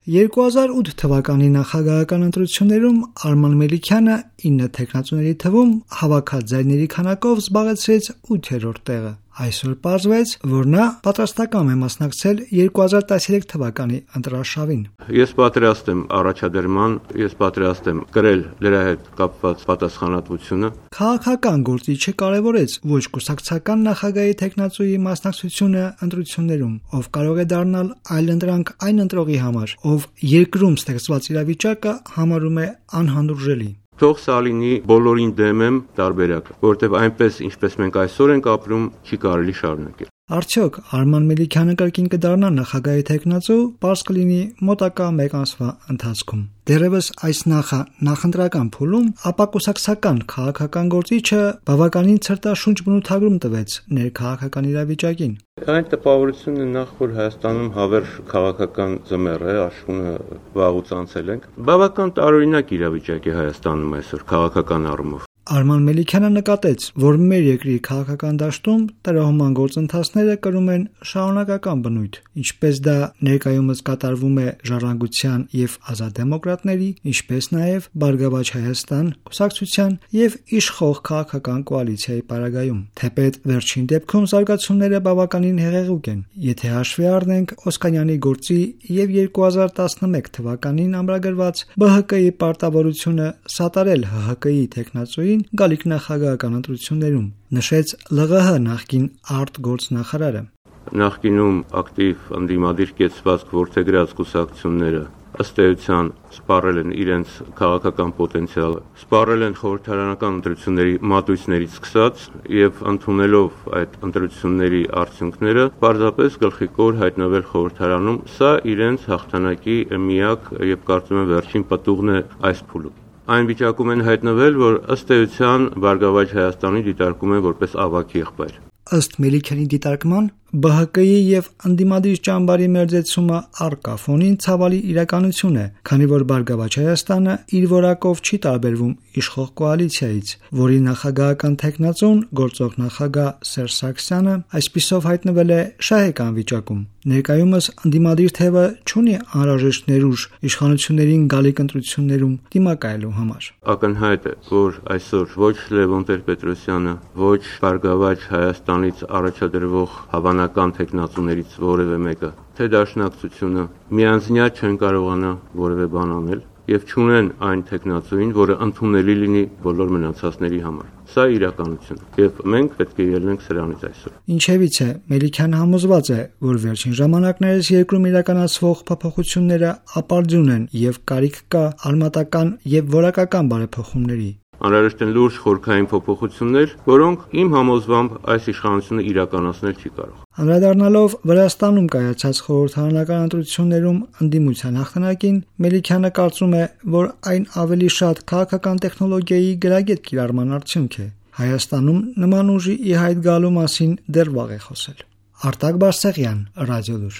2008 թվականի նախագահական ընտրություններում Արման Մելիքյանը 9 թեկնածուների թվում հավաքած ձայների քանակով զբաղեցրեց 8-րդ տեղը։ Այսօր պարզվեց, որ նա պատրաստական է մասնակցել 2013 թվականի ընտրարշավին։ Ես պատրաստ եմ առաջադրման, ես պատրաստ եմ կրել դրա հետ կապված պատասխանատվությունը։ Քաղաքական գործիչը կարևորեց ոչ կուսակցական նախագահի թեկնածուի մասնակցությունը ընտրություններում, ով կարող է դառնալ այլընտրանք այն ընտրողի համար, ով երկրում ստեղծված իրավիճակը համարում է անհանդուրժելի։ Թող սա լինի բոլորին դեմ եմ տարբերակ, որտեղ այնպես ինչպես մենք այսօր ենք ապրում, չի կարելի շարունակել։ Արդյոք Արման Մելիքյանը կրկին կդառնա նախագահի թեկնածու, պարզ կլինի մոտակա մեկ ամսվա ընթացքում։ Դեռևս այս նախընտրական փուլում ապակուսակցական քաղաքական գործիչը բավականին ցրտաշունչ բնութագրում տվեց ներքաղաքական իրավիճակին։ Այն տպավորությունն է նախ, որ Հայաստանում հավերժ քաղաքական ձմեռ է, աշխունը վաղուց անցել ենք։ Բավական տարօրինակ իրավիճակ է Հայաստանում այսօր քաղաքական առումով։ Արման Մելիքյանը նկատեց, որ մեր երկրի քաղաքական դաշտում տրամադրման գործընթացները կրում են շարունակական բնույթ, ինչպես դա ներկայումս կատարվում է Ժառանգության եւ Ազատ դեմոկրատների, ինչպես նաեւ Բարգավաճ Հայաստան կուսակցության եւ իշխող քաղաքական կոալիցիայի պարագայում։ Թեպետ վերջին դեպքում զարգացումները բավականին հեղեղուկ են, եթե հաշվի առնենք Օսկանյանի գործի եւ 2011 թվականին ամրագրված ԲՀԿ-ի պարտավորությունը սատարել ՀՀԿ-ի թեկնածուին գալիք նախագահական ընտրություններում, նշեց ԼՂՀ նախկին արտգործնախարարը։ Նախկինում ակտիվ ընդդիմադիր կեցվածք որդեգրած կուսակցությունները ըստ էության սպառել են իրենց քաղաքական պոտենցիալը, սպառել են խորհրդարանական ընտրությունների մատույցներից սկսած եւ ընդունելով այդ ընտրությունների արդյունքները պարզապես գլխիկոր հայտնվել խորհրդարանում, սա իրենց հաղթանակի միակ եւ կարծում եմ վերջին պտուղն է այս փուլում։ Այն վիճակում են հայտնվել, որ ըստ էության Բարգավաճ Հայաստանի դիտարկում են որպես ավագ եղբայր։ Ըստ Մելիքյանի դիտարկման ԲՀԿ-ի եւ ընդդիմադիր ճամբարի մերձեցումը առկա ֆոնին ցավալի իրականություն է, քանի որ Բարգավաճ Հայաստանը իր որակով չի տարբերվում իշխող կոալիցիայից, որի նախագահական թեկնածուն գործող նախագահ Սերժ Սարգսյանը այսպիսով հայտնվել է շահեկան վիճակում։ Ներկայումս ընդդիմադիր թևը չունի անհրաժեշտ ներուժ իշխանություններին գալիք ընտրություններում դիմակայելու համար։ Ակնհայտ է, որ այսօր ոչ Լևոն Տեր-Պետրոսյանը, ոչ Բարգավաճ Հայաստանից առաջադրվող հավանական թեկնածուներից որևէ մեկը, թե դաշնակցությունը միանձնյա չեն կարողանա որևէ բան անել եւ չունեն այն թեկնածուին, որը ընդունելի լինի բոլոր մնացածների համար։ Սա իրականություն է եւ մենք պետք է ելնենք սրանից այսօր։ Ինչևիցե Մելիքյանը համոզված է, որ վերջին ժամանակներս երկրում իրականացվող փոփոխությունները ապարդյուն են եւ կարիք կա արմատական եւ որակական բարեփոխումների։ Անհրաժեշտ են լուրջ խորքային փոփոխություններ, որոնք իմ համոզմամբ այս իշխանությունը իրականացնել չի կարող։ Անդրադառնալով Վրաստանում կայացած խորհրդարանական ընտրություններում ընդդիմության հաղթանակին, Մելիքյանը կարծում է, որ այն ավելի շատ քաղաքական տեխնոլոգիայի գրագետ կիրառման արդյունք է։ Հայաստանում նման ուժի ի հայտ գալու մասին դեռ վաղ է խոսել։ Արտակ Բարսեղյան, Ռադիոլուր։